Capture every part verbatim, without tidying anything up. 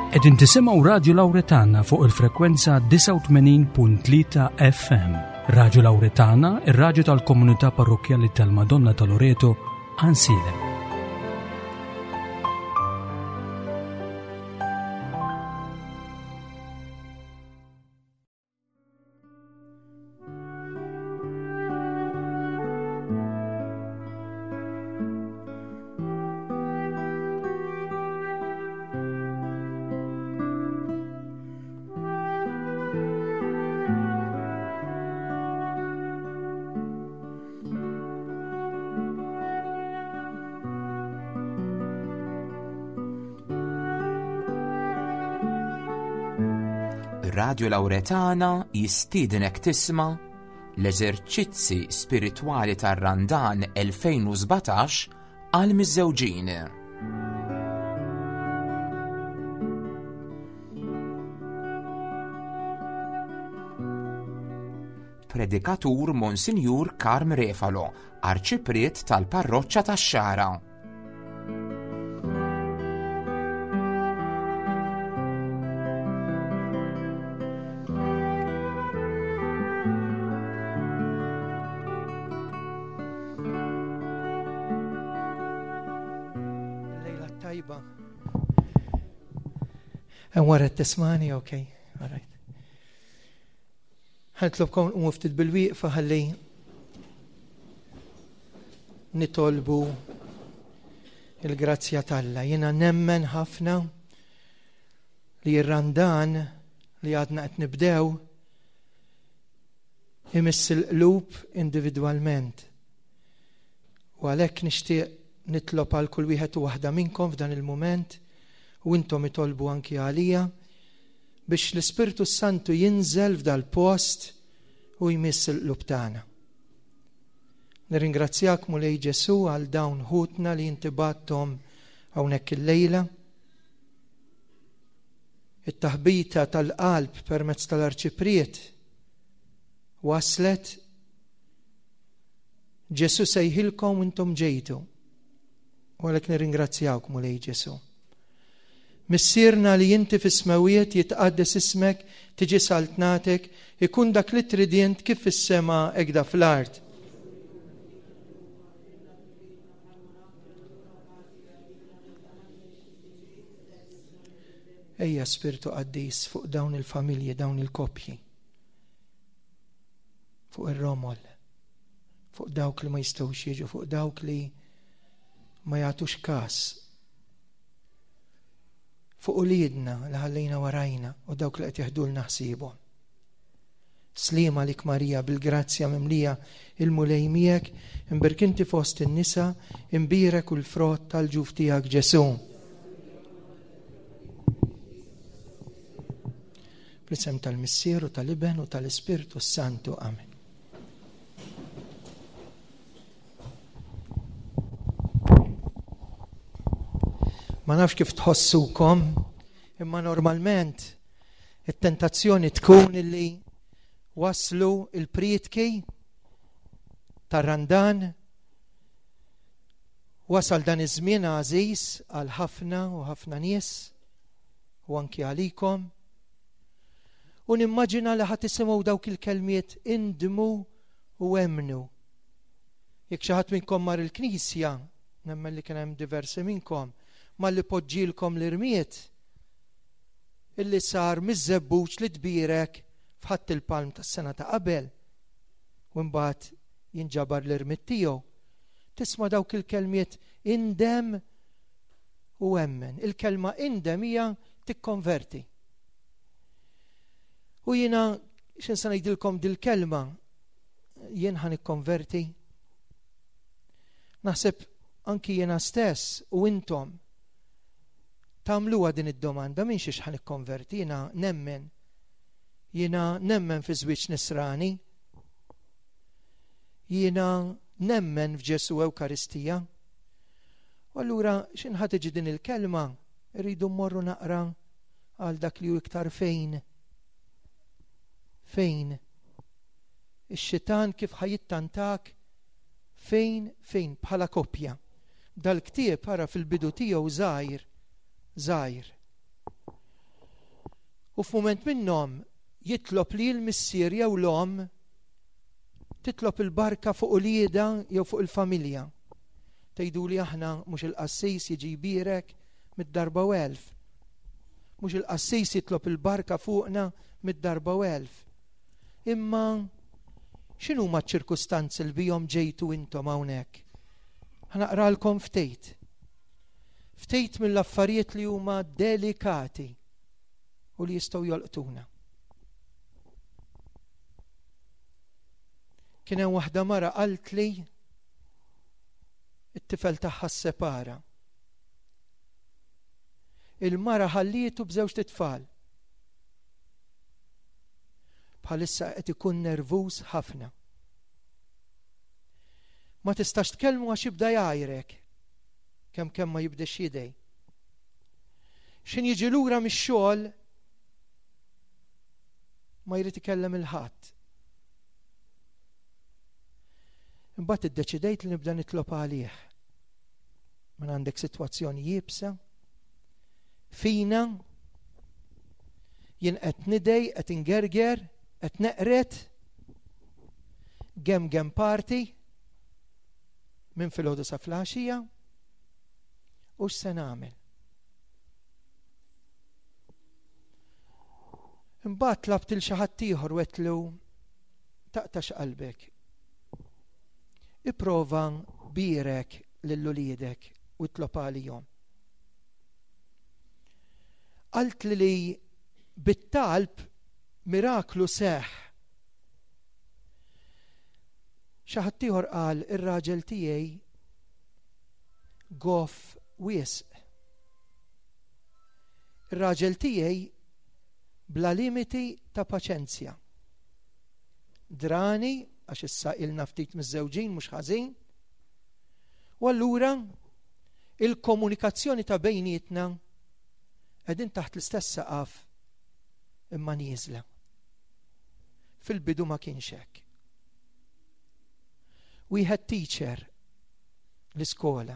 Qegħdin tisimgħu Radio Lauretana fuq il-frekwenza disgħa u tmenin punt tlieta F M. Radio Lauretana, ir-radju tal-komunità parrokkjali tal-Madonna ta' Loreto, Għajnsielem. Radio Lauretana jistiednek tisma' l-eżerċizzi spiritwali tar-Randan elfejn u sbatax għal miżżewġin. Predikatur Monsinjur Karm Refalo, arċipriet tal-Parroċċa tax-Xagħra. Wara t-tismani, ok, all right. Ħanitlobkom nqumu ftit bil-wieqfa ħalli nitolbu il-grazzja t'Alla. Jiena nemmen ħafna li r-Randan li għadna qed nibdew imiss il-qlub individwalment. U għalhekk nixtieq nitlob għal kull wieħed u waħda minnkom f'dan il-mument, u intom itolbu anki għalija biex l-Ispirtu Santu jinżel f'dal-post u jmiss il-qlub tagħna. Nirringrazzjak Mulej Ġesu għal dawn ħutna li inti bagħthom hawnhekk illejla. It-taħbita tal-qalb permezz tal-arċipriet waslet. Ġesu sejħilkom u intom ġejtu. U għalhekk nirringrazzjawk Mulej Ġesu. Missierna li inti fis-smewiet, jitqaddes ismek, tiġi saltnatek, ikun dak li trid int kif fis-sema hekk fl-art. Ejja Spirtu Qaddis fuq dawn il-familji, dawn il-koppji, fuq ir-romol, fuq dawk li ma jistgħux jiġu, fuq dawk li ma jagħtux każ, fuq uliedna li ħallejna warajna u dawk li qed jeħdulna ħsiebhom. Slima lik Marija bil-grazzja mimlija, il-Mulej miegħek, imbierek inti fost in-nisa, imbierek u l-frott tal-ġuf tiegħek Ġesu. Bl-isem tal-Missier u tal-Iben u tal-Ispirtu s-Santu. Amen. Ma nafx kif tħossukom, imma normalment it-tentazzjoni tkun illi waslu il-prietki tar-Randan, wasal dan iż-żmien għażiż għal ħafna u ħafna nies u anki għalikom. U nimmaġina li ħadd isimgħu dawk il-kelmiet indmu u emmnu. Jekk xi ħadd minnkom mar il-knisja, nemmen li kien hemm diversi minnkom, malli poġġilkom l-irmiet illi sar miż-żebbuġ li tbierek f'Ħadd il-Palm tas-sena ta' qabel, u mbagħad jinġabar l-irmiet tiegħu. Tisma' dawk il-kelmiet indem u emmen. Il-kelma indem hija tikkonverti. U jiena x'insa se ngħidilkom dil-kelma, jien ħa nikkonverti. Naħseb anki jiena stess u intom tagħmluha din id-domanda, minn xiex ħa nikkonverti? Jiena nemmen. Jiena nemmen fi żwieġ nisrani. Jiena nemmen f'Ġesu Ewkaristija. U allura x'inħa ħa tiġi din il-kelma, irridu mmorru naqra għal dak li hu iktar fejn. Fejn? Ix-xitan kif ħajittantak fejn, fejn bħala koppja. Dal-ktieb ara fil-bidu tiegħu żgħir, żgħir. U f'mument minnhom jitlob li l-missier jew l-omm titlob il-barka fuq uliedha jew fuq il-familja. Tgħidu li aħna mhux il-qassis jiġi jbierek mid-darba u elf. Mhux il-qassis jitlob il-barka fuqna mid-darba u elf. Imma x'inhuma ċ-ċirkustanzi li bihom ġejtu intom hawnhekk? Ħa naqralkom ftit. Ftit mill-affarijiet li huma delikati u li jistgħu jolqtuna. Kien hemm waħda mara qaltli it-tifel tagħha ssepara. Il-mara ħallietu b'żewġt itfal. Bħalissa qed ikun nervuż ħafna. Ma tistax tkellmu għax jibda jgħajrek kemm kemm ma jibdex jidej. X'in jiġi lura mix-xogħol ma jrid ikellem il-ħadd. Imbagħad iddeċidejt li nibda nitlob għalih. Mela għandek sitwazzjoni iebsa, fina, jien qed nidej, qed ingerger, qed neqret, gem gem party, minn filgħodu sa flaxija, u x'se nagħmel? Imbagħad tlabt il xi ħadd ieħor u għedtlu taqtax qalbek. Ipprova bierek lil uliedek u itlob għalihom. Qaltli li bit-talb miraklu seħħ. Xi ħadd ieħor qal ir-raġel tiegħi goff wisq. Ir-raġel tiegħi bla limiti ta' paċenzja. Drani, għax issa ilna ftit miż-żewġin mhux ħażin. U allura il-komunikazzjoni ta' bejnietna qegħdin taħt l-istess saqaf imma nieżla. Fil-bidu ma kienx hekk. Wieħed teacher l-iskola.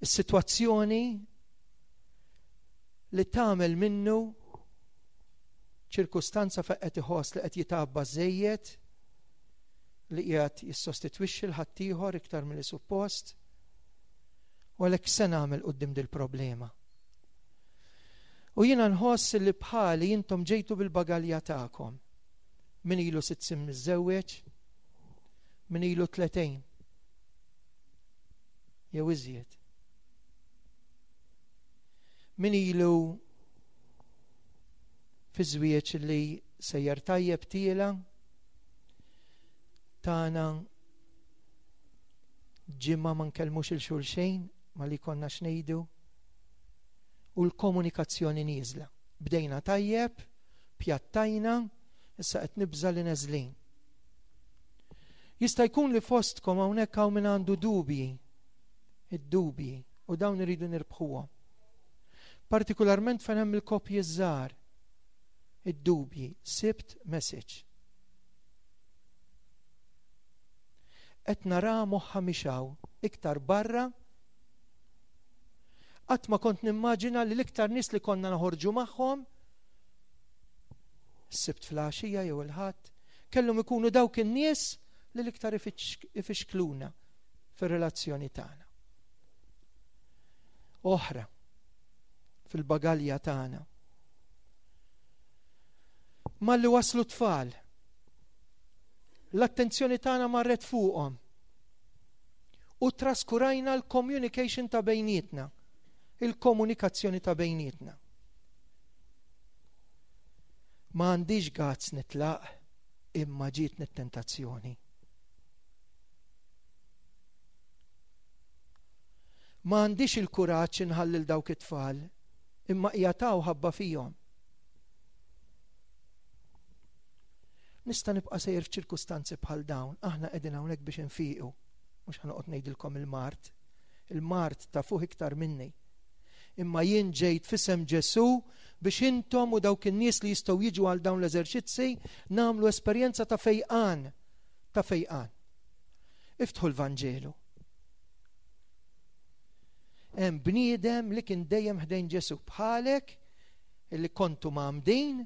Is-sitwazzjoni li tagħmel minnu ċirkustanza fejn qed iħoss li qed jitabba żejjed, li qiegħed jissostitwixxi l ħaddieħor iktar milli suppost, u għalhekk se nagħmel quddiem dil-problema. U jiena nħoss li bħali intom ġejtu bil-bagalja tagħkom. Min ilu sitt snin miżżewweġ, min ilu tletejn jew iżjed. Min ilu fi żwieġ li sejjer tajjeb tiela tagħna ġimgħa ma nkellmux il xulxejn ma li konna x'ngħidu u l-komunikazzjoni nieżla. Bdejna tajjeb, pjattajna, issa qed nibża' li neżlin. Jista' jkun li fostkom hawnhekk hawn min għandu dubji, id-dubji, u dawn iridu nirbħuhom. Partikolarment fejn hemm il-koppji żgħar, id-dubji, sibt message. Qed nara moħħa mixaw iktar barra. Qatt ma kont nimmaġina li l-iktar nies li konna naħorġu magħhom s-Sibt fl-għaxija jew il-Ħadd kellhom ikunu dawk in-nies li l-iktar ifixkluna fir-relazzjoni tagħna. Oħra fil-bagalja tagħna. Malli waslu tfal, l-attenzjoni tagħna marret fuqhom u traskurajna l-communication ta' bejnietna, il-komunikazzjoni ta' bejnietna. Ma għandix gazz nitlaq imma ġietni t-tentazzjoni. Ma għandix il-kuraġġ inħallil dawk it-tfal imma qiegħed ħabba fihom. Nista' nibqa' sejjer f'ċirkustanzi bħal dawn, aħna qegħdin hawnhekk biex infiqu, mhux ħa noqgħod ngħidilkom il-mard. Il-mard tafuh iktar minni. Imma jien ġejt f'isem Ġesù biex intom u dawk in-nies li jistgħu jiġu għal dawn l-eżerċizzi nagħmlu esperjenza ta' fejqan, ta' fejqan. Iftħu l-Vanġelu. Hemm bniedem li kien dejjem ħdejn Ġesù bħalek, illi kontu mgħammdin,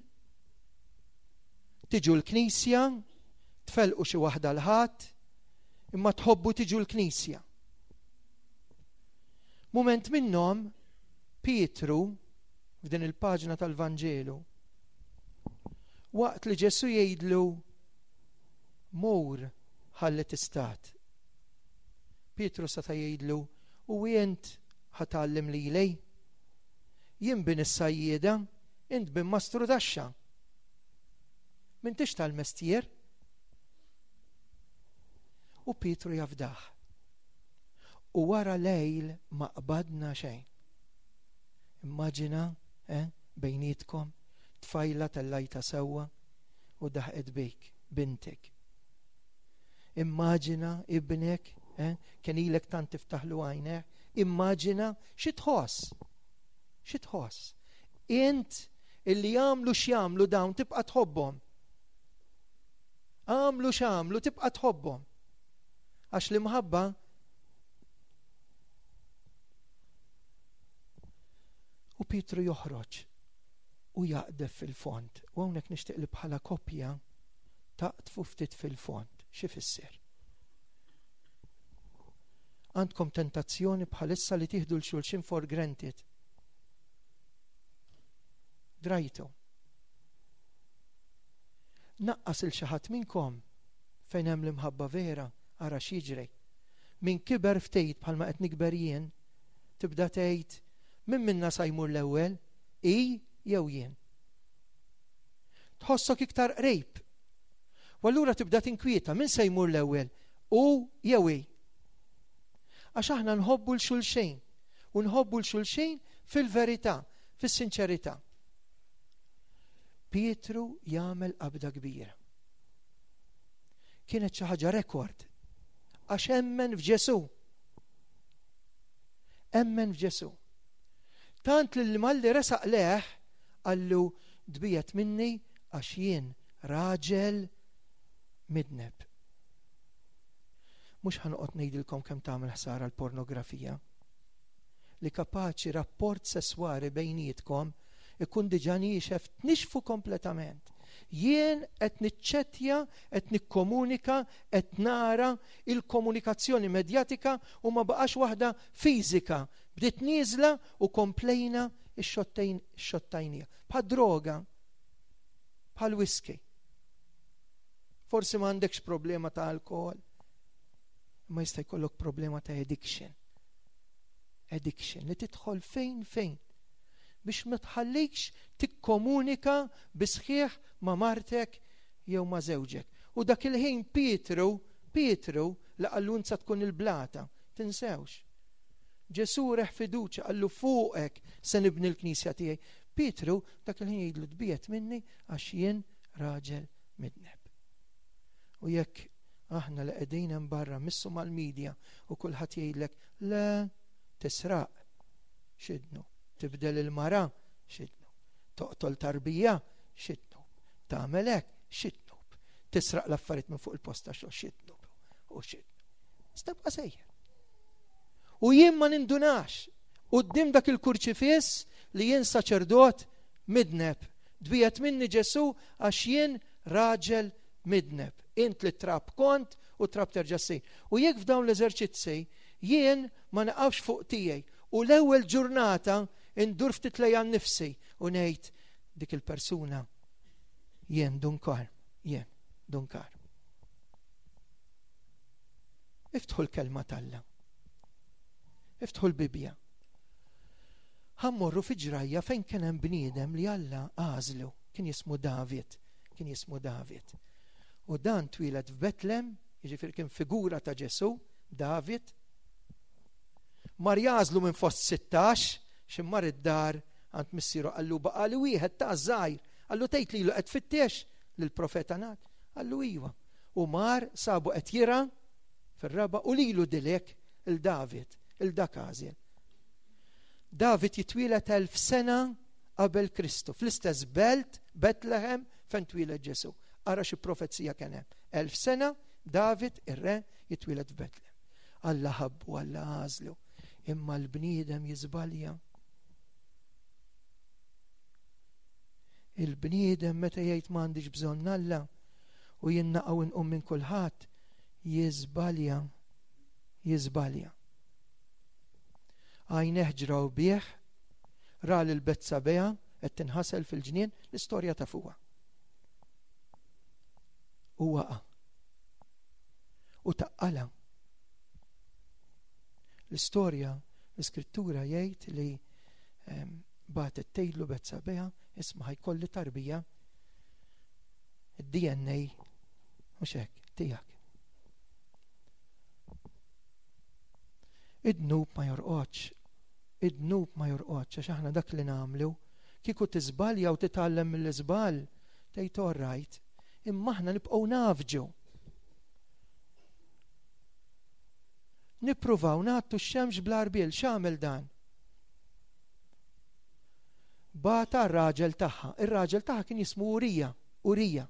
tiġu l-knisja, tfelqu xi waħda l-Ħadd, imma tħobbu tiġu l-knisja. Mument minnhom Pietru f'din il-paġna tal-Vanġelu, waqt li Ġesù jgħidlu mur ħalli tistat, Pietru seta' jgħidlu u int ħa tgħallem lili? Jien bin is-sajjieda, int bin mastru taxxa. M'intix tal-mestier. U Pietru jafdaħ. U wara lejl ma qbadna xejn. Immaġina, eh, bejnietkom, tfajla tellajta sewwa u daħqet bik, bintek. Immaġina ibnek, eh, kien ilek tant tiftaħlu għajneh, immaġina xi tħoss. Xi tħoss. Int illi jagħmlu x'jagħmlu dawn tibqa' tħobbhom. Għamlu x'għamlu tibqa' tħobbhom. Għax l-imħabba u Pietru joħroġ u jaqdef fil-fond. U hawnhekk nixtieq li bħala koppja taqtfu ftit fil-fond. Xi fisser? Għandkom tentazzjoni bħalissa li tieħdu l xulxin for granted. Drajtu. Naqqas il xi ħadd minnkom fejn hemm l-imħabba vera, ara x'jiġri. Min kiber ftit bħalma qed nikber jien, tibda tgħid min minna sa jmur l-ewwel, i jew jien. Tħossok iktar qrib. U allura tibda tinkwieta min se jmur l-ewwel, u jew hi. Għax aħna nħobbu l xulxin u nħobbu l xulxin fil-verità, fis-sinċerità. Pietru jagħmel qabda kbira. Kienet xi ħaġa rekord għax emmen f'Ġesù. Emmen f'Ġesù. Tant li malli resaq leħ qallu dbijet minni għax jien raġel midneb. Mhux ħanoqgħod ngħidilkom kemm tagħmel ħsara l-pornografija. Li kapaċi rapport sesswali bejnietkom ikun diġà niexef tnixfu kompletament. Jien qed niċċettja, qed nikkomunika, qed nara il-komunikazzjoni medjatika u ma baqax waħda fiżika. Bdiet nieżla u komplejna x-xottejn xottajnija. Bħal droga, bħal whisky. Forsi ma għandekx problema ta' alkohol, ma jista' jkollok problema ta' addiction. Addiction li tidħol fejn fejn biex ma tħallikx tikkomunika bisħieħ ma' martek jew ma' żewġek. U dak il-ħin Pietru, Pietru li qallu insa tkun il-blata, tinsewx. Ġesù reħ fiduċja qallu fuqek se nibni l-knisja tiegħi. Pietru dak il-ħin jgħidlu tbiet minni għax jien raġel midneb. U jekk aħna li qegħdin hemm barra missu mal-medja u kulħadd jgħidlek le tisraq x'idnu, tibdel il-mara x'idnu, toqtol tarbija x'idnu, tagħmel hekk x'idnu, tisraq l-affarijiet minn fuq il-posta xogħol x'idnu u x'idnu. Stabqa' sejjer. U jien ma nindunax quddiem dak il-kurċifiss li jien saċerdot midneb. Dbiet minni Ġesù għax jien raġel midneb. Int li trab kont u trab terġa' ssir. U jekk f'dawn l-eżerċizzi jien ma naqafx fuq tiegħi u l-ewwel ġurnata indur ftit lejja nnifsi u ngħid dik il-persuna jien dunkar, jien dunkar. Iftħu l-kelma t'Alla. Iftħu l-Bibbja. Ħammorru fi ġrajja fejn kien hemm bniedem li Alla għażlu, kien jismu David, kien jismu David. U dan twieled f'Betlem, jiġifieri kien figura ta' Ġesù, David. Mar jażlu minn fost sittax, x'immar id-dar għand missieru qallu baqali wieħed ta' żgħir, qallu tgħid lilu qed tfittex lill-profeta Nat, qallu iva. U mar sabu qed jira fir-raba' u lilu dilek il-David, il-dak għażel. David jitwieled elf sena qabel Kristu, fl-istess belt Betlehem fejn twieled Ġesù. Ara xi profezija kien hemm. Elf sena David ir-re jitwieled f'Betlehem. Alla ħabbu, Alla għażlu. Imma l-bniedem jiżbalja. Il-bniedem meta jgħid m'għandix bżonn Alla u jien naqgħu nqum minn kulħadd, jiżbalja, jiżbalja. Għajneh ġraw bih, ra lil Betsabea qed tinħasel fil-ġnien, l-istorja ta' fuqha. U waqa'. U taqqala. L-istorja, l-iskrittura jgħid li bagħtet tgħidlu Betsabea, isma' ħajkolli tarbija, id-D N A mhux hekk tiegħek. Id-dnub ma jorqodx, id-dnub ma jorqodx, għax aħna dak li nagħmlu, kieku tiżbalja u titgħallem mill-iżball, tgħid all right, imma aħna nibqgħu nafġu. Nippruvaw nagħtu x-xemx bl-arbiel. X'għamel dan? Bata r-raġel tagħha. Ir-raġel tagħha kien jismu Urija, Urija.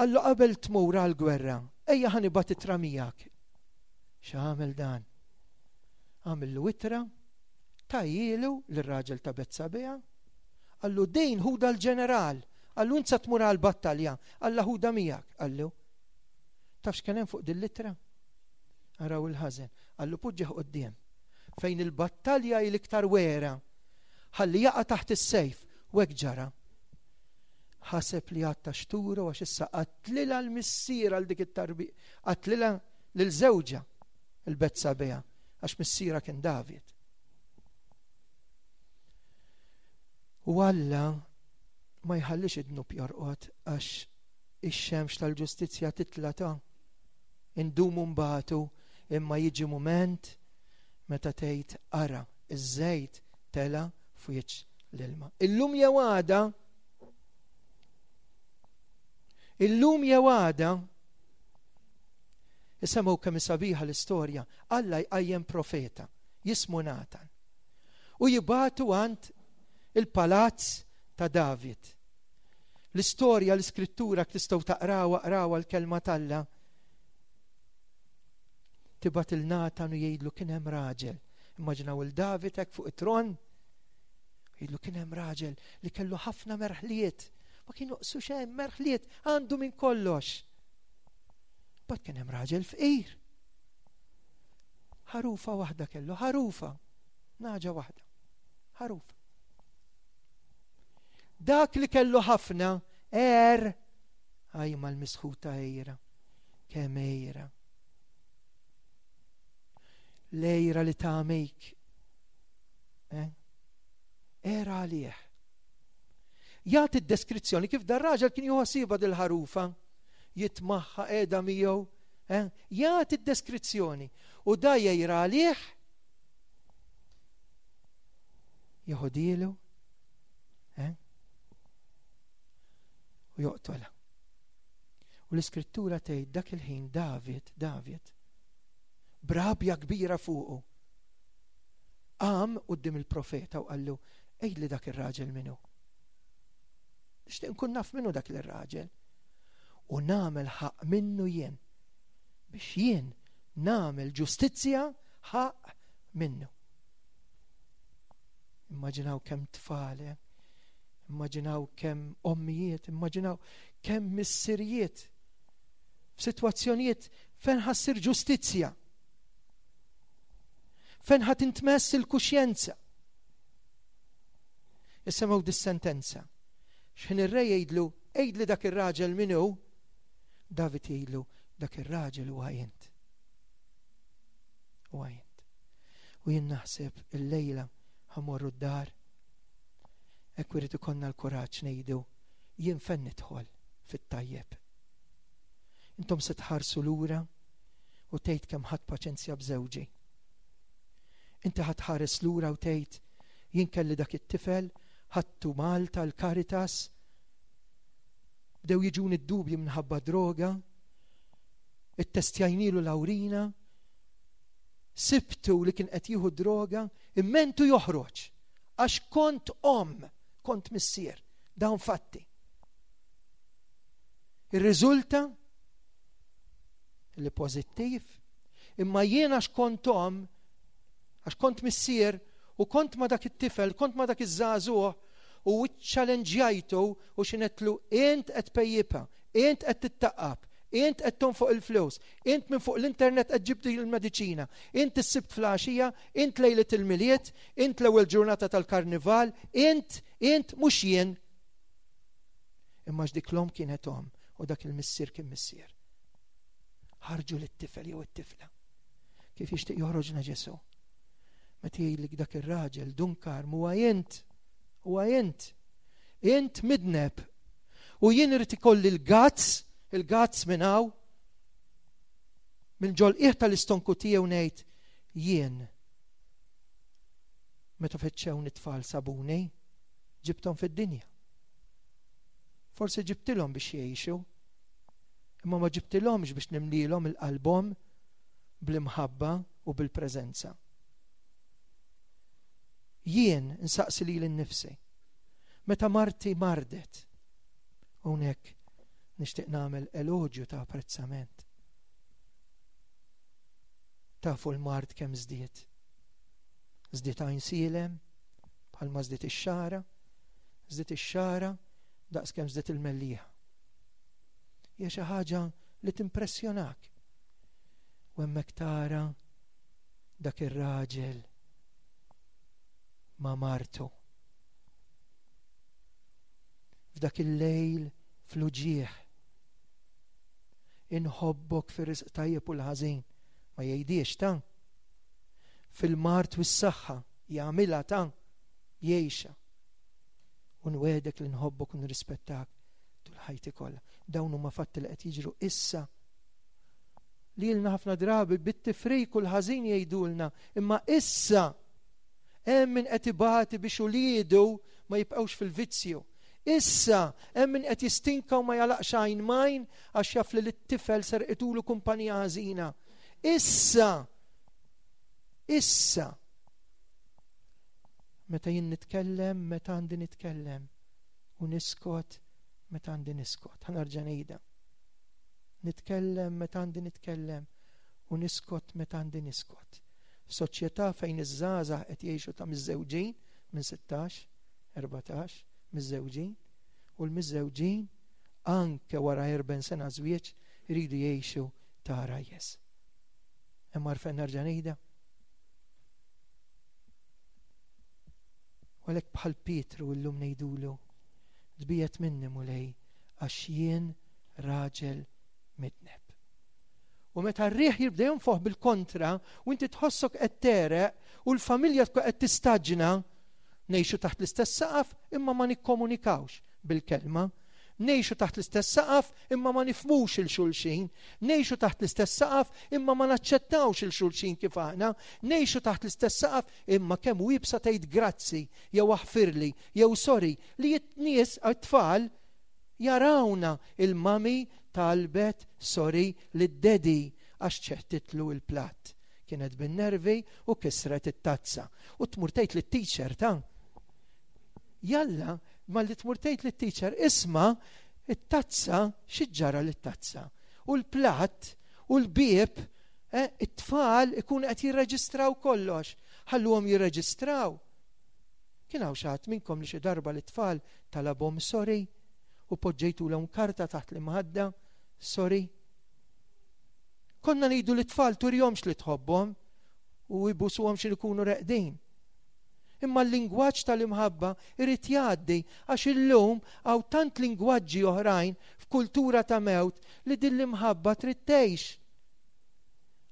Qallu qabel tmur għall-gwerra, ejja ħa nibgħat ittra miegħek. X'għamel dan? Għamillu ittra, tajjielu lir-raġel ta' Betsabea, qallu din ħuda l-ġeneral, qallu int sa tmur għall-battalja, alla ħuda miegħek, qallu. Taf x'kien hemm fuq din l-ittra? Araw il-ħażen, qallu poġġih quddiem fejn il-battalja hi l-iktar wera, ħalli jaqa' taħt is-sejf, u hekk ġara. Ħaseb li għatta xturu għax issa qatlilha l-missier għal dik it-tarbi, qatlilha lil żewġha il-Betsabea għax missiera kien David. U Alla ma jħallix id-dnub jorqod għax ix-xemx tal-ġustizzja titla' ta' indumu mbagħtu, imma jiġi mument meta tgħid ara iż-żejt tela' f'wiċċ l-ilma. Illum jew għada, illum jew għada, isemgħu kemm sabiħa l-istorja, Alla jqajjem profeta jismu Natan u jibgħatu għand il-palazz ta' David. L-istorja, l-iskrittura tistgħu taqrawha, qrawha l-kelma t'Alla. Tibgħat il Natan u jgħidlu kien hemm raġel. Immaġinaw il David hekk fuq it-tron. Jgħidlu kien hemm raġel li kellu ħafna merħliet. Ma kien joqsu xejn, merħliet, għandu minn kollox. Bad kien hemm raġel fqir. Ħarufa waħda kellu, ħarufa, naġa waħda, ħarufa. Dak li kellu ħafna, er, għaj mal-misħuta ejra, kemm ejra. Lejra li tagħmik. Eh? Era għalih. Jagħti d-deskrizzjoni kif dar raġel kien juħosiba dil-ħarufa, jitmaħħa qiegħda miegħu, eh? Jagħti d-deskrizzjoni u da jgħira għalih, jeħodilu, eh? U joqtolha. U l-iskrittura tgħid dak il-ħin David, David, brabja kbira fuqu, qam quddiem il-profeta u qallu, għidli dak ir-raġel minnu. Nixtieq nkun naf minnu dak ir-raġel. U nagħmel ħaqq minnu jien, biex jien nagħmel ġustizzja ħaqq minnu. Immaġinaw kemm tfal, eh? Immaġinaw kemm ommijiet, immaġinaw kemm missirijiet f'sitwazzjonijiet fejn ħassir ġustizzja, fejn ħa tintmess il-kuxjenza. Isemgħu dis-sentenza. X'ħin ir-re jgħidlu, għidli dak ir-raġel min hu, David jgħidlu, dak ir-raġel huwa int. Huwa int. U jien naħseb illejla ħamorru d-dar, hekk irid ikollna l-kuraġġ ngħidu, jien fejn nidħol fit-tajjeb. Intom se tħarsu lura u tgħid kemm ħadd paċenzja b'żewġi. Inti ħadd ħares lura u tgħid jien kelli dak it-tifel, ħadtu Malta l-Caritas, bdew jiġuni d-dubji minħabba droga, ittestjajnilu l-awrina, sibtu li kien qed jieħu droga, immentu joħroġ għax kont omm, kont missier, dawn fatti. Ir-riżulta li pożittiv, imma jiena għax kont omm Għax kont missier u kont ma dak it-tifel, kont ma dak iż-żagħżugħ u ċċalenġjajtu u xinetlu int qed pejjipa, int qed tittaqqab, int qed tonfoq il-flus, int minn fuq l-internet qed ġib il-mediċina, int is-Sibt filgħaxija, int lejlet il-Milied, int l-ewwel ġurnata tal-karnival, int, int mhux jien. Imma dik l-omm kienet omm u dak il-missier kien missier. Ħarġu lit-tifel jew it-tifla. Kif jixtieq joħroġna Ġesù? Meta jgħidlek dak ir-raġel Dun Karm huwa int, huwa int. Int midneb. U jien irid ikolli l-guts, il-guts minn hawn, minn ġol-qiegħ tal-istonku tiegħu ngħid jien. Meta feċċewni t-tfal sabuni, ġibthom fid-dinja. Forsi ġibtilhom biex jgħixu, imma ma ġibtilhomx biex nimlilhom il-qalbhom bl-imħabba u bil-preżenza. Jien nsaqsi lili nnifsi. Meta marti mardet, hawnhekk nixtieq nagħmel eloġju ta' apprezzament. Tafu l-mard kemm żdied. Żdied Għajnsielem, bħalma żdied ix-Xagħra, żdied ix-Xagħra daqs kemm żdied il-Mellieħa. Hija xi ħaġa li timpressjonak. U hemmhekk tara dak ir-raġel ma' martu. F'dak il-lejl fl-uġigħ. Inħobbok fir-risq tajjeb u l-ħażin, ma jgħidiex ta' fil-mard u s-saħħa jagħmilha ta' jgħixha. U nwegħdek li nħobbok u nirrispettak tul ħajti kollha. Dawn huma fatti li qed jiġru issa. Lilna ħafna drabi bit-tifrik u l-ħażin jgħidulna, imma issa hemm min qed ibati biex uliedu ma jibqgħux fil-vizzju. Issa hemm min qed jistinka u ma jalaqx għajn majn għax jaf li lit-tifel serqitulu kumpanija ħażina. Issa, issa, meta jien nitkellem, meta għandi nitkellem, u niskot, meta għandi niskot. Ħa nerġa' ngħidha. Nitkellem meta għandi nitkellem u niskot meta għandi niskot. F'soċjetà fejn iż-żgħażagħ qed jgħixu ta' miżżewġin minn sittax, erbatax, miżżewġin, u l-miżżewġin anke wara erbgħin sena żwieġ iridu jgħixu ta' rajjes. Hemm għarfen nerġa' ngħidha. U għalhekk bħal Pietru llum ngħidulu, tbiegħed minni Mulej għax jien raġel midneb. U meta r-riħ jibda jonfoħ bil-kontra u inti tħossok qed tereq u l-familja tkun qed tistaġna, ngħixu taħt l-istess saqaf imma ma nikkomunikawx bil-kelma, ngħixu taħt l-istess saqaf imma ma nifhmux il xulxin, ngħixu taħt l-istess saqaf imma ma naċċettawx il xulxin kif aħna, ngħixu taħt l-istess saqaf imma kemm hu iebsa tgħid grazzi jew aħfirli jew sorry li t-nies għat-tfal jarawna il-mami talbet sorry lid-daddy għax ċeħtitlu il-platt. Kienet bin-nervi u kisret it-tazza. U tmur tgħid lit-teacher ta' jalla, ma li tmur tgħid lit-teacher isma' it-tazza xi ġara lit-tazza. U l-platt u l-bieb, eh, it-tfal ikun qed jirreġistraw kollox. Ħalluhom jirreġistraw. Kien hawn xi ħadd minnkom li xi darba l-tfal talabhom sorry u poġġejtulhom karta taħt l-imħadda, sorry. Konna ngħidu l-tfal turjomx li tħobbhom u jbusuhom xi jkunu reqdin. Imma l-lingwaġġ tal-imħabba irid jgħaddi għax illum hawn tant lingwaġġi oħrajn f'kultura ta' mewt li din l-imħabba trid tgħix.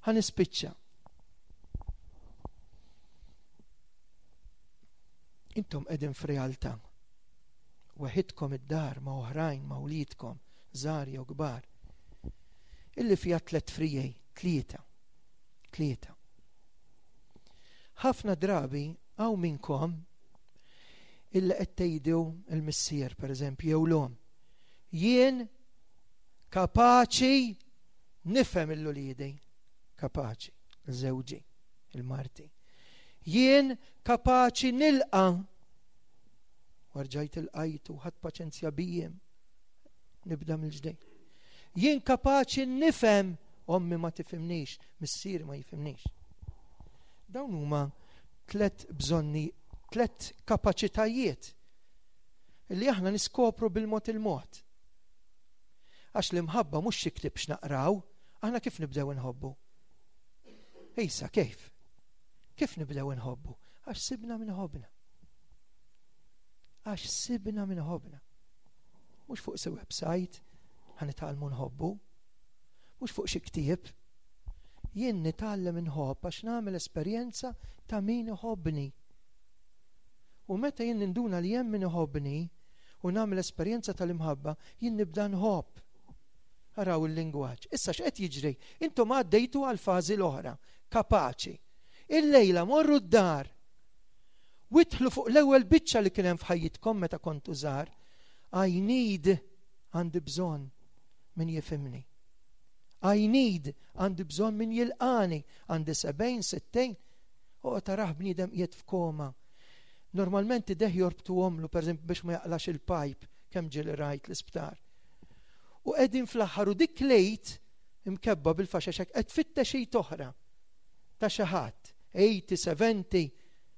Ħa nispiċċa. Intom qegħdin f'realtà. Waħidkom id-dar ma' oħrajn, ma' wliedkom, żgħar jew kbar. Illi fiha tliet frijej, tlieta. Tlieta. Ħafna drabi hawn minnkom illi qed tgħidu il-missier pereżempju jew l-omm. Jien kapaċi nifhem il-uliedi, kapaċi, il-żewġi, il-marti. Jien kapaċi nilqa' warġajt il-qajtu, ħadd paċenzja bijiem, nibda mill-ġdejn. Jien kapaċi nifhem, ommi ma tifhimnix, missieri ma jifhimnix. Dawn huma tliet bżonni, tliet kapaċitajiet li aħna niskopru bil-mod il-mod. Għax l-imħabba mhux xi ktieb x'naqraw, aħna kif nibdew inħobbu? Ejsa, kif? Kif nibdew inħobbu? Għax sibna min ħobbna. Għax sibna min ħobbna. Mhux fuq xi website ħa nitgħallmu nħobbu, mhux fuq xi ktieb. Jien nitgħallem inħobb għax nagħmel esperjenza ta' min iħobbni. U meta jien ninduna li hemm min iħobbni u nagħmel esperjenza tal-imħabba, jien nibda nħobb. Araw il-lingwaġġ. Issa x'qed jiġri? Intom għaddejtu għal fażi l-oħra, kapaċi. Illejla morru d-dar. Idħlu fuq l-ewwel biċċa li kien hemm f'ħajjitkom meta kontu żgħar. I need, għandi bżonn min jifhimni. I need, għandi bżonn min jilqani, għandi sebgħin, sittin, u taraħ bniedem qiegħed f'koma. Normalment idejh jorbtuhomlu, per eżempju, biex ma jaqlax il-pipe, kemm ġieli rajt l-isptar. U qegħdin fl-aħħar u dik lejt imkebba bil-faxaxek qed tfittex xi oħra ta' xi ħadd, tmenin, sebgħin,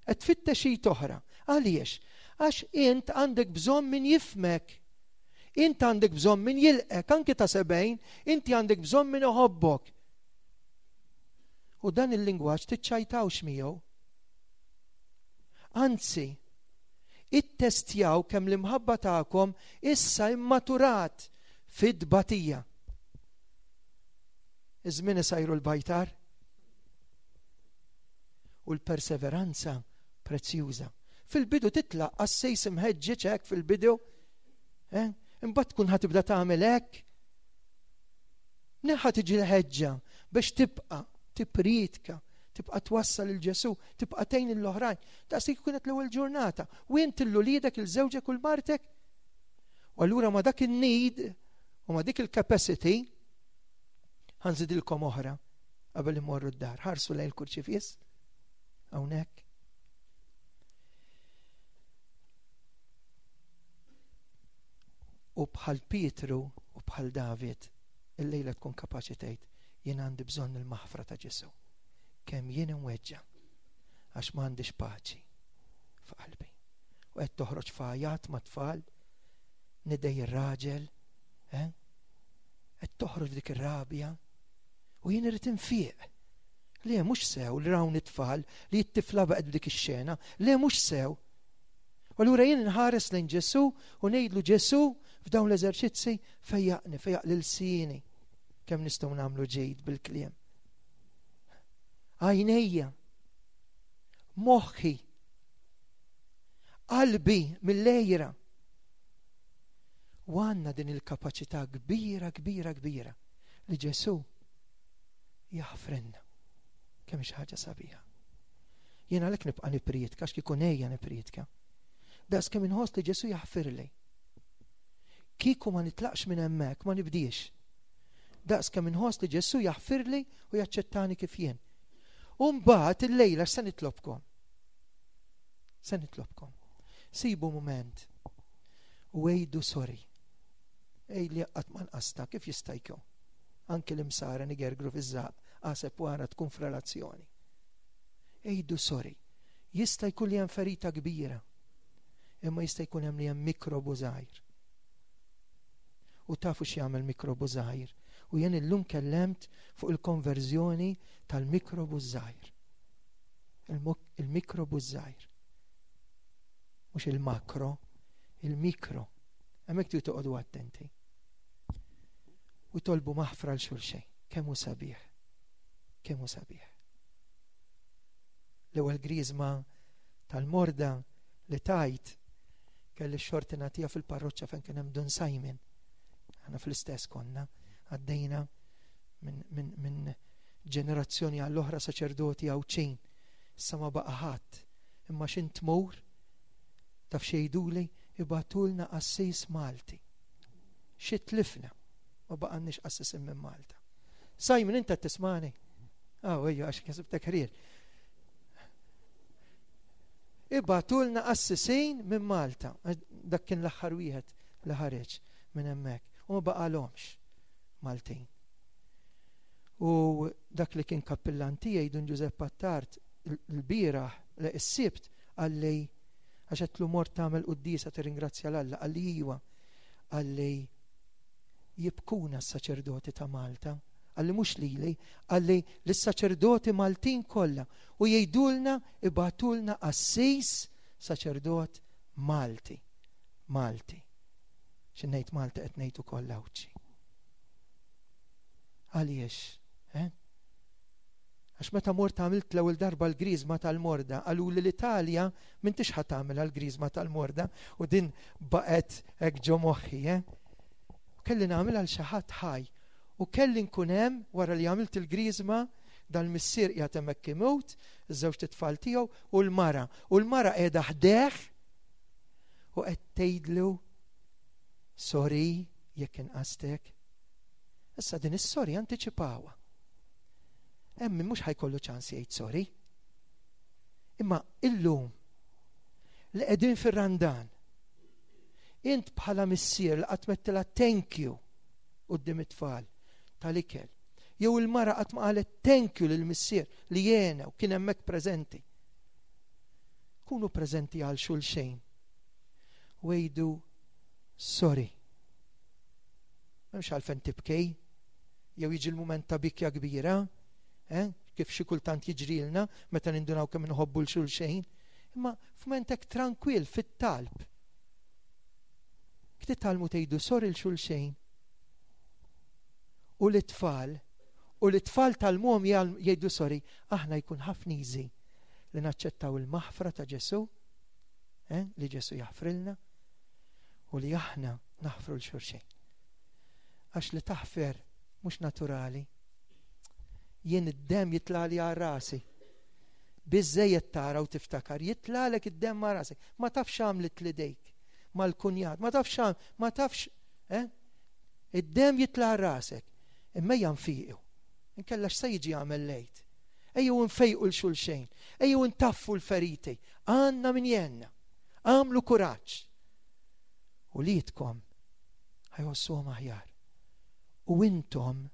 qed tfittex xi oħra. Għaliex? Għax int għandek bżonn min jifhmek. Int għandek bżonn min jilqek, anki ta' sebgħin, inti għandek bżonn min iħobbok. U dan il-lingwaġġ tiċċajtawx miegħu. Anzi, ittestjaw kemm l-imħabba tagħkom issa immaturat fid-batija. Iż-żmien isajru l-bajtar u l-perseveranza prezzjuża. Fil-bidu titlaq qassis imħeġġeġ hekk fil-bidu, eh? Imbagħad tkun ħa tibda tagħmel hekk. Neħa tiġi l-ħeġġa biex tibqa' tippriedka, tibqa' twassal il Ġesù, tibqa' tgħin l-oħrajn. Daqs kienet l-ewwel ġurnata. U int lil uliedek, lil żewġek u lil martek. U allura ma dak il-need u ma dik il-capacity ħa nżidilkom oħra qabel imorru d-dar. Ħarsu lejn il-kurċifiss hawnhekk. U bħal Pietru u bħal David, illejla tkun kapaċi tgħid, jien għandi bżonn il-maħfra ta' Ġesù. Kemm jien imweġġa' għax m'għandix paċi f'qalbi. U qed toħroġ f'għajat ma' tfal, nidej ir-raġel, eh? Qed toħroġ dik ir-rabja u jien irid infiq. Le mhux sew li rawn it-tfal li t-tifla baqgħet b'dik ix-xena, le mhux sew. U allura jien nħares lejn Ġesù u ngħidlu Ġesù f'dawn l-eżerċizzi fejjaqni, fejjaq lil sini. Kemm nistgħu nagħmlu ġid bil-kliem. Għajnejja, moħħi, qalbi mill-lejra. U għandna din il-kapaċità kbira, kbira, kbira li Ġesù jaħfrenna. Kemm xi ħaġa sabiħa. Jien għalhekk nibqa' nippriedka, għax kieku ngħejja nippriedka. Daqs kemm inħoss li Ġesù jaħfirli. Kieku ma nitlaqx minn hemmhekk, ma nibdiex. Daqs kemm inħoss li Ġesù jaħfirli u jaċċettani kif jien. U mbagħad illejla se nitlobkom. Se nitlobkom. Sibu mument u għidu sorry. Ej li qatt ma nqasta kif jista' jkun. Anki l-imsara nigergru fiż-żaq, għaseb wara tkun f'relazzjoni. Għidu sorry. Jista' jkun li hemm ferita kbira, imma jista' jkun hemm li hemm mikrobu żgħir. U tafu x'jagħmel mikrobu żgħir. U jien illum kellemt fuq il-konverżjoni tal-mikrobu żgħir. Il-mikrobu żgħir. Mhux il-makro, il-mikro. Hemmhekk tridu toqogħdu attenti. U tolbu maħfra l xulxejn. Kemm hu sabiħ. Kemm hu sabiħ. L-ewwel griżma tal-morda li tajt kelli x-xorti nagħtiha fil-parroċċa fejn kien hemm Dun Simon. Aħna fl-istess konna għaddejna minn min, min ġenerazzjoni għall-oħra saċerdoti Għawdxin. Issa ma baqa' ħadd. Imma x'int tmur taf xejduli ibagħtulna qassis Malti. Xi tlifna ma baqgħanniex qassisin minn Malta. Simon, inta tismani? Ah, ejja, għax kisibtek ħrir. Ibagħtulna qassisin minn Malta. Dak kien l-aħħar wieħed li ħareġ minn hemmhekk. U ma baqalhomx Maltin. U dak li kien kappillan tiegħi Dun Giuseppe Attard l-bieraħ, is-Sibt, qalli għax għedtlu mort tagħmel quddiesa tirringrazzja 'l Alla, qalli iwa, qalli jibkuna s-saċerdoti ta' Malta, qalli mhux lili, qalli lis-saċerdoti Maltin kollha u jgħidulna ibagħtulna qassis saċerdot Malti. Malti. Xi ngħid Malta qed ngħid ukoll Għawdxi. Għaliex, eh? Għax meta mort għamilt l-ewwel darba l-griżma tal-morda, qaluli l-Italja m'intix ħa tagħmilha l-griżma tal-morda u din baqgħet hekk ġo moħħi, eh? Kelli nagħmilha għal xi ħadd ħaj u kelli nkun hemm wara li għamilt il-griżma, dal-missier qiegħed hemmhekk imut, iż-żewġ tfal tiegħu u l-mara. U l-mara qiegħda ħdejh u qed tgħidlu sorry jekk inqastek. Issa din is-sorry antiċipawha. Hemm min mhux ħa jkollu ċans jgħid sorry. Imma illum li qegħdin fir-Randan, int bħala missier li qatt mettilha thank you quddiem it-tfal tal-ikel, jew il-mara qatt ma qalet thank you lill-missier li jena u kien hemmhekk preżenti. Kunu preżenti għal xulxejn u għidu sorry. M'hemmx għalfejn tibkej, jew jiġi l-mument ta' bikja kbira, eh? Kif xi kultant jiġrilna meta nindunaw kemm inħobbu l xulxejn, imma f'mument hekk tranquil fit-talb. Titgħallmu tgħidu sorry 'l xulxejn. U l-tfal, u l-tfal tal-mom jgħidu sorry, aħna jkun ħafna easy li naċċettaw il-maħfra ta' Ġesu, eh? Li Ġesu jaħfrilna u li aħna naħfru 'l xulxejn. Għax li taħfer mhux naturali. Jien id-demm jitlali għal rasi. Biżżejjed tara u tiftakar, jitlalek id-demm għal rasek. Ma tafx għamlet l-idejk mal-kunjat, ma tafx għam, ma tafx, eh? Id-demm jitla għal rasek. Imma ejja nfiqu. Inkella x'se jiġi għamel lejt. Ejjew nfejqu 'l xulxejn, ejjew ntaffu l-feriti. Għandna min jenna. Għamlu kuraġġ. U lietkom ħajħossuhom aħjar. U intom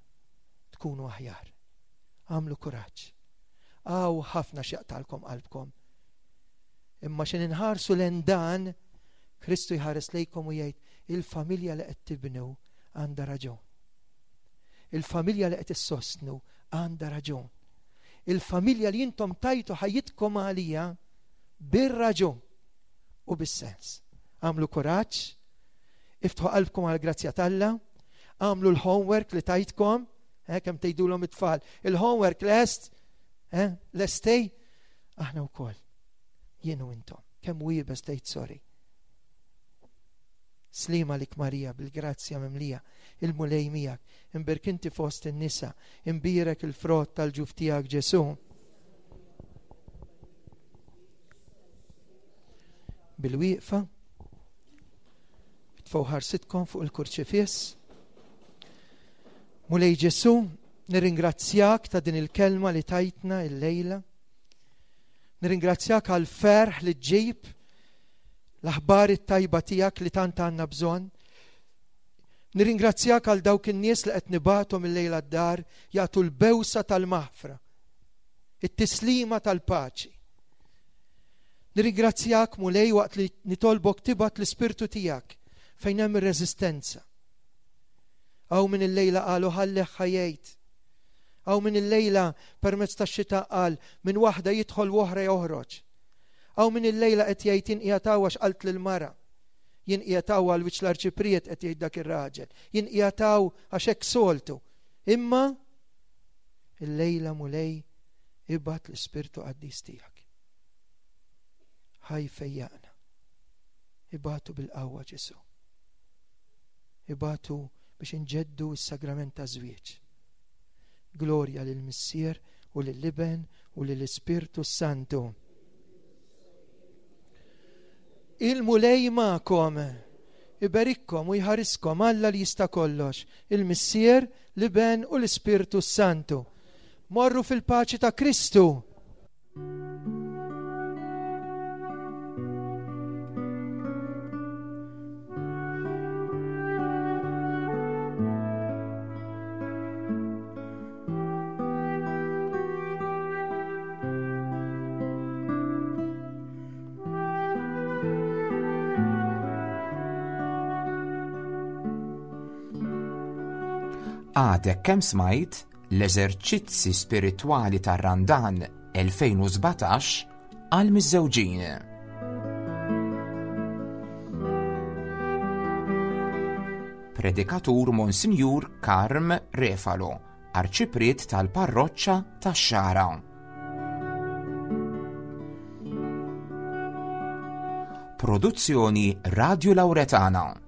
tkunu aħjar. Għamlu kuraġġ. Għaw ħafna x'jaqtalkom qalbkom. Imma x'in inħarsu lejn dan, Kristu jħares lejkom u jgħid il-familja li qed tibnu għandha raġun. Il-familja li qed issostnu għandha raġun. Il-familja li intom tajtu ħajjitkom għalija bir-raġun u bis-sens. Għamlu kuraġġ, iftħu qalbkom għall-grazzja t'Alla, għamlu l-homework li tajtkom, eh, kemm tgħidulhom it-tfal, il-homework lest, eh, lestej, aħna wkoll, jien u intom, kemm iebes tgħid sorry. Slima lik Marija bil-grazzja mimlija, il-Mulej miegħek, imbierka inti fost in-nisa, imbierek il-frott tal-ġuf tiegħek Ġesu. Bil-wieqfa, tfgħu ħarsitkom fuq il-kurċifiss. Mulej Ġesu, nirringrazzjak ta' din il-kelma li tajtna il-lejla. Nirringrazzjak għal-ferħ li ġġib l-aħbar it-tajba tiegħek li tant għandna bżonn. Nirringrazzjak għal dawk in-nies li qed nibgħathom il-lejla d-dar jagħtu l-bewsa tal-maħfra, it-tislima tal-paċi. Nirringrazzjak Mulej waqt li nitolbok tibgħat l-ispirtu tiegħek fejn hemm ir-reżistenza. Hawn min il-lejla qalu ħalli ħajjejt. Hawn min il-lejla permezz tax-xita qal minn waħda jidħol u oħra joħroġ. Hawn min il-lejla qed jgħid jien qiegħed hawn għax qalt lill-mara. Jien qiegħed hawn għal wiċċ l-arċipriet qed jgħid dak ir-raġel. Jien qiegħed hawn għax hekk soltu. Imma il-lejla Mulej ibgħat l-Ispirtu Qaddis tiegħek. Ħaj fejjaqna. Ibatu bil-qawwa Ġesu. Ibatu biex inġeddu s-sagrament ta' żwieġ. Glorja lill-Missier u lill-Iben u lill-Ispirtu Santu. Il-Mulej magħkom, iberikkom u jħariskom Alla li jista' kollox, il-Missier, l-Iben u l-Ispirtu Santu. Morru fil-paċi ta' Kristu. Għadek kemm smajt l-eżerċizzi spiritwali tar-Randan elfejn u sbatax għal miżżewġin. Predikatur Monsinjur Karm Refalo, Arċipriet tal-Parroċċa tax-Xagħra. Produzzjoni Radio Lauretana.